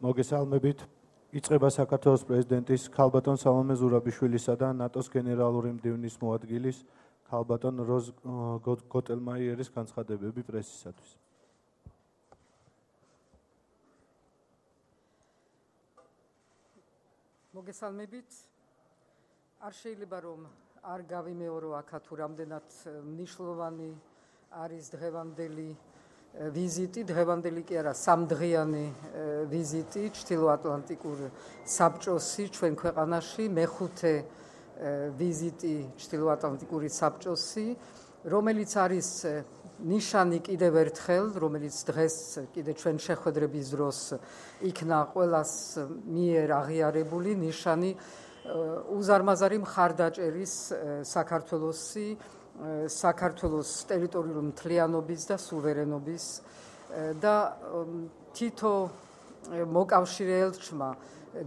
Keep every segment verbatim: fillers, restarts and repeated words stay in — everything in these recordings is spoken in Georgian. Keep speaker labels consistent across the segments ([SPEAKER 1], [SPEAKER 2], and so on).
[SPEAKER 1] მოგესალმებით. იწყება საქართველოს პრეზიდენტის ქალბატონ სალომე ზურაბიშვილისა და ნატოს გენერალური მდივნის მოადგილის ქალბატონ როზ გოტელმაიერის განცხადებები პრესისათვის.
[SPEAKER 2] მოგესალმებით. არ შეიძლება რომ არ გავიმეორო აქა თუ რამდენად მნიშვნელოვანი არის დღევანდელი ვიზიტი, დღევანდელი კი არა, სამდღიანი ვიზიტი ჩრდილოატლანტიკურ საბჭოსი ჩვენ ქვეყანაში, მეხუთე ვიზიტი ჩრდილოატლანტიკური საბჭოსი, რომელიც არის ნიშანი კიდევ ერთხელ, რომელიც დღეს კიდე ჩვენ შეხვედრების დროს იქნა ყველას მიერ აღიარებული ნიშანი უზარმაზარი მხარდაჭერის საქართველოსი საქართველოს ტერიტორიული მთლიანობის და სუვერენობის და თითო მოკავშირე ელჩმა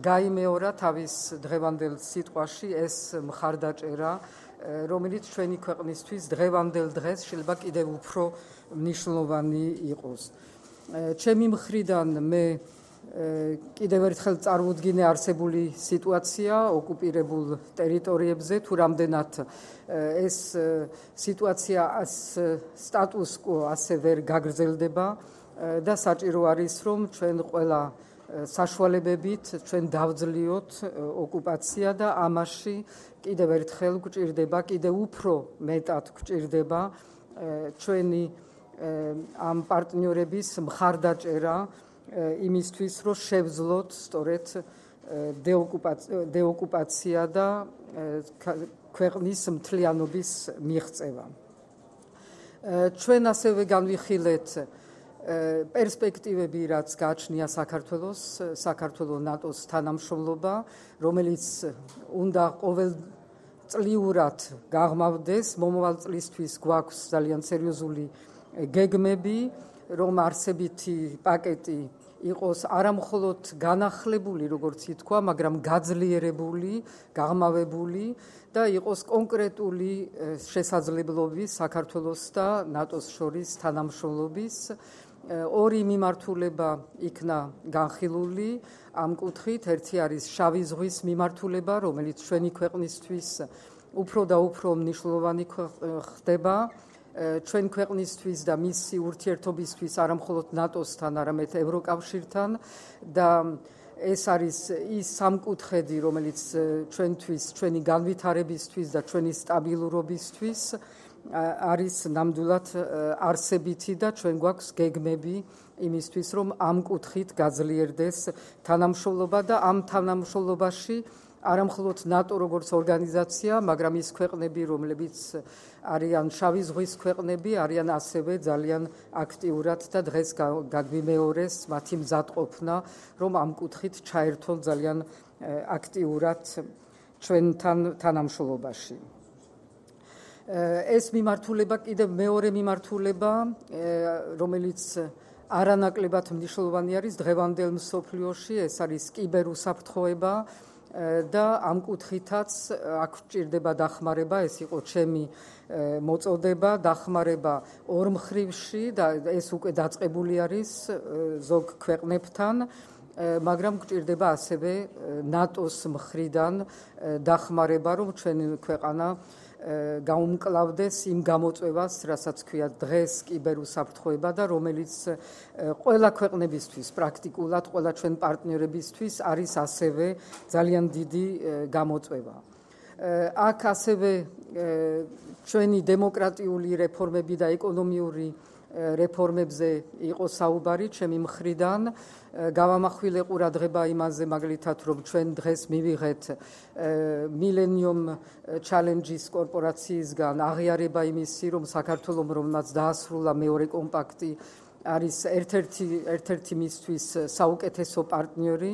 [SPEAKER 2] გაიმეორა თავის დღევანდელ სიტყვაში ეს მხარდაჭერა, რომელიც ჩვენი ქვეყნისთვის დღევანდელ დღეს შეიძლება კიდევ უფრო მნიშვნელოვანი იყოს. ჩემი მხრიდან მე კიდევ ერთხელ წარუდგინე არსებული სიტუაცია ოკუპირებულ ტერიტორიებზე, თუ რამდენად ეს სიტუაცია სტატუს quo ასე ვერ გაგრძელდება და საჭირო არის რომ ჩვენ ყველა საშუალებებით ჩვენ დავძლიოთ ოკუპაცია და ამაში კიდევ ერთხელ გვჭირდება, კიდევ უფრო მეტად გვჭირდება ჩვენი ამ პარტნიორების მხარდაჭერა იმისთვის, რომ შევძლოთ სწორედ დეოკუპაცია და ქვეყნის მთლიანობის მიღწევა. ჩვენ ასევე განვიხილეთ პერსპექტივები, რაც გააჩნია საქართველოს, საქართველოს ნატოს თანამშრომლობა, რომელიც უნდა ყოველწლიურად გაღრმავდეს, მომავალ წლისთვის გვაქვს ძალიან სერიოზული გეგმები, რომ არსებითი პაკეტი იყოს არამხოლოდ განახლებული, როგორც ითქვა, მაგრამ გაძლიერებული, გაღრმავებული და იყოს კონკრეტული შესაძლებლობის საქართველოს და ნატოს შორის თანამშრომლობის. ორი მიმართულება იქნა განხილული ამ კუთხით, ერთი არის შავი ზღვის მიმართულება, რომელიც ჩვენი ქვეყნისთვის უფრო და უფრო მნიშვნელოვანი ხდება. ჩვენ ქვეყნისთვის და მისი ურთიერთობისთვის არამხოლოდ ნატოსთან, არამედ ევროკავშირთან და ეს არის ის სამკუთხედი, რომელიც ჩვენთვის, ჩვენი განვითარებისთვის და ჩვენი სტაბილურობისთვის არის ნამდვილად არსებითი და ჩვენ გვაქვს გეგმები იმისთვის, რომ ამ კუთხით გაძლიერდეს თანამშრომლობა და ამ თანამშრომლობაში არამხოლოდ ნატო როგორც ორგანიზაცია, მაგრამ ის ქვეყნები, რომლებიც არიან შავი ზღვის ქვეყნები, არიან ასევე ძალიან აქტიურად და დღეს გაგვიმეორეს მათი მზადყოფნა, რომ ამ კუთხით ჩაერთონ ძალიან აქტიურად ჩვენთან თანამშრომლობაში. ეს მიმართულება კიდევ მეორე მიმართულება, რომელიც არანაკლებად მნიშვნელოვანი არის დღევანდელ მსოფლიოში, ეს არის კიბერუსაფრთხოება და ამ კუთხითაც აქ გვჭირდება დახმარება, ეს იყო ჩემი მოწოდება, დახმარება ორმხრივში და ეს უკვე დაწყებული არის ზოგ ქვეყნებთან, მაგრამ გვჭირდება ასევე ნატოს მხრიდან დახმარება, რომ ჩვენი ქვეყანა გაუმკლავდეს იმ გამოწვევას, რასაც ქვია დღეს კიბერუსაფრთხოება და რომელიც ყველა ქვეყნებისთვის, პრაქტიკულად ყველა ჩვენ პარტნიორებისთვის არის ასევე ძალიან დიდი გამოწვევა. აქ ასევე ჩვენი დემოკრატიული რეფორმები და ეკონომიური რეფორმებზე იყო საუბარი ჩემი მხრიდან. გავამახვილე ყურადღება იმაზე, მაგალითად, რომ ჩვენ დღეს მივიღეთ Millennium Challenges კორპორაციისგან აღიარება იმისი, რომ საქართველოს, რომელმაც დაასრულა მეორე კომპაქტი, არის ერთ-ერთი ერთ-ერთი მისთვის საუკეთესო პარტნიორი.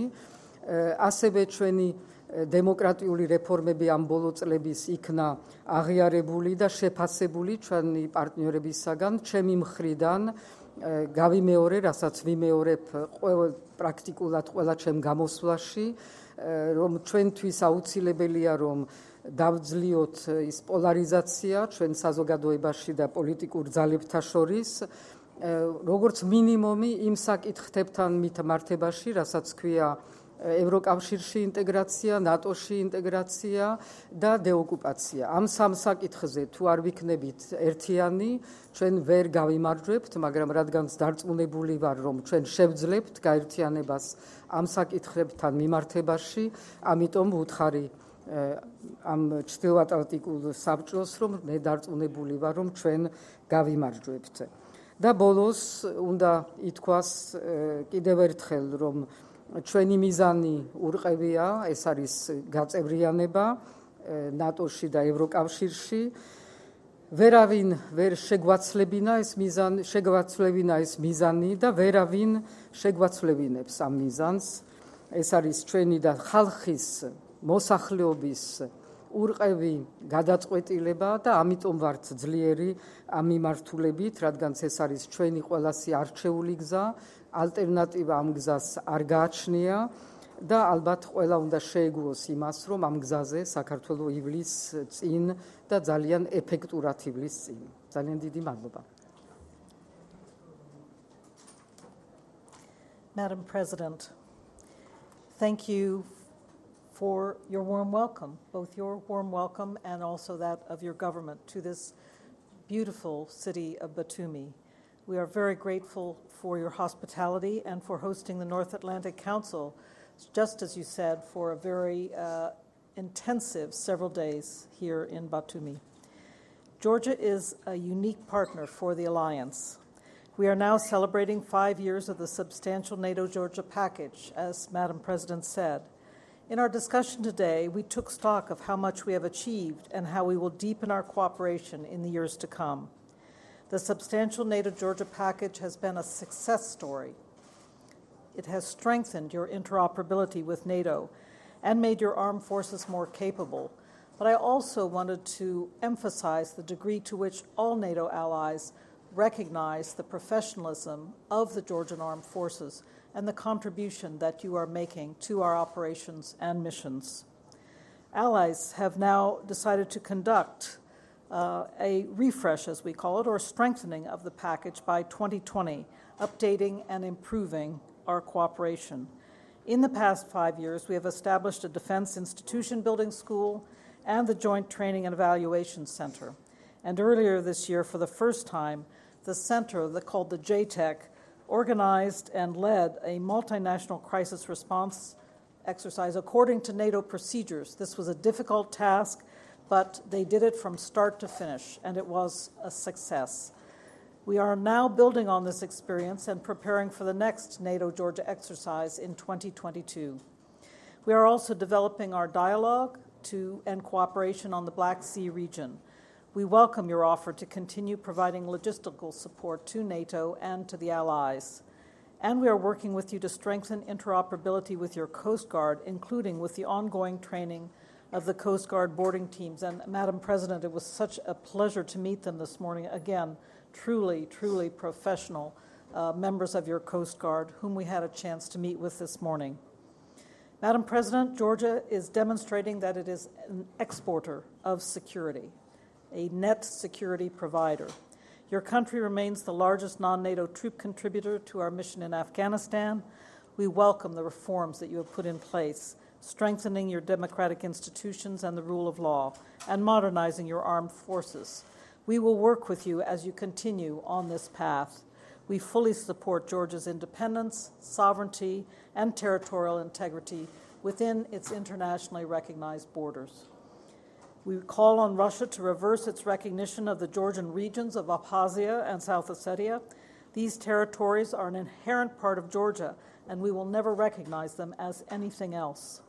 [SPEAKER 2] ასევე ჩვენი დემოკრატიული რეფორმები ამ ბოლო წლების იქნა აღიარებული და შეფასებული ჩვენი პარტნიორებისაგან, ჩემი მხრიდან გავიმეორე, რასაც ვიმეორებ პრაქტიკულად ყველა ჩემ გამოსვლაში, რომ ჩვენთვის აუცილებელია, რომ დავძლიოთ ის პოლარიზაცია ჩვენ საზოგადოებაში და პოლიტიკურ ძალებთა შორის როგორც მინიმუმი იმ საკითხებთან მითმართებაში, რასაც ქვია ევროკავშირში ინტეგრაცია, ნატოში ინტეგრაცია და დეოკუპაცია. ამ სამ საკითხზე თუ არ ვიქნებით ერთიანი, ჩვენ ვერ გავიმარჯვებთ, მაგრამ რადგანაც დარწმუნებული ვარ, რომ ჩვენ შევძლებთ გაერთიანებას ამ საკითხებთან მიმართებაში, ამიტომ ვუთხარი ამ ჩრდილოატლანტიკულ საბჭოს, რომ მე დარწმუნებული ვარ, რომ ჩვენ გავიმარჯვებთ. და ბოლოს უნდა ითქვას კიდევ ერთხელ, რომ ჩვენი მიზანი ურყევია, ეს არის გაწევრიანება ნატოში და ევროკავშირში. ვერავინ ვერ შეგვაცლებინა ეს მიზანი, შეგვაცლებინა ეს მიზანი და ვერავინ შეგვაცლებინებს ამ მიზანს. ეს არის ჩვენი და ხალხის მოსახლეობის ურყევი გადაწყვეტილება და ამიტომ ვართ ძლიერი ამ მიმართულებით, რადგან ეს არის ჩვენი ყველასი არჩეული გზა, ალტერნატივა ამ გზას არ გააჩნია და ალბათ ყველა უნდა შეეგუოს იმას, რომ ამ გზაზე საქართველო ივლის წინ და ძალიან ეფექტურად ივლის წინ. ძალიან დიდი მადლობა.
[SPEAKER 3] Madam President, thank you for your warm welcome, both your warm welcome and also that of your government to this beautiful city of Batumi. We are very grateful for your hospitality and for hosting the North Atlantic Council, just as you said, for a very uh, intensive several days here in Batumi. Georgia is a unique partner for the alliance. We are now celebrating five years of the substantial NATO-Georgia package, as Madam President said. In our discussion today, we took stock of how much we have achieved and how we will deepen our cooperation in the years to come. The substantial NATO-Georgia package has been a success story. It has strengthened your interoperability with NATO and made your armed forces more capable. But I also wanted to emphasize the degree to which all NATO allies recognize the professionalism of the Georgian armed forces and the contribution that you are making to our operations and missions. Allies have now decided to conduct uh, a refresh, as we call it, or strengthening of the package by twenty twenty, updating and improving our cooperation. In the past five years, we have established a defense institution building school and the Joint Training and Evaluation Center. And earlier this year, for the first time, the center called the J TEC organized and led a multinational crisis response exercise according to NATO procedures. This was a difficult task, but they did it from start to finish, and it was a success. We are now building on this experience and preparing for the next NATO-Georgia exercise in twenty twenty-two. We are also developing our dialogue to and cooperation on the Black Sea region. We welcome your offer to continue providing logistical support to NATO and to the allies. And we are working with you to strengthen interoperability with your Coast Guard, including with the ongoing training of the Coast Guard boarding teams. And Madam President, it was such a pleasure to meet them this morning. Again, truly, truly professional uh, members of your Coast Guard, whom we had a chance to meet with this morning. Madam President, Georgia is demonstrating that it is an exporter of security, a net security provider. Your country remains the largest non-NATO troop contributor to our mission in Afghanistan. We welcome the reforms that you have put in place, strengthening your democratic institutions and the rule of law, and modernizing your armed forces. We will work with you as you continue on this path. We fully support Georgia's independence, sovereignty, and territorial integrity within its internationally recognized borders. We call on Russia to reverse its recognition of the Georgian regions of Abkhazia and South Ossetia. These territories are an inherent part of Georgia, and we will never recognize them as anything else.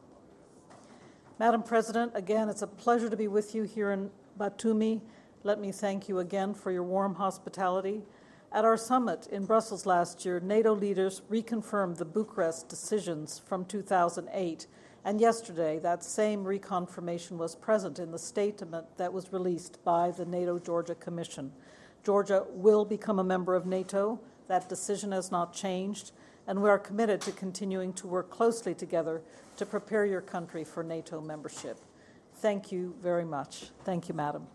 [SPEAKER 3] Madam President, again, it's a pleasure to be with you here in Batumi. Let me thank you again for your warm hospitality. At our summit in Brussels last year, NATO leaders reconfirmed the Bucharest decisions from two thousand eight. And yesterday, that same reconfirmation was present in the statement that was released by the NATO-Georgia Commission. Georgia will become a member of NATO. That decision has not changed, and we are committed to continuing to work closely together to prepare your country for NATO membership. Thank you very much. Thank you, Madam.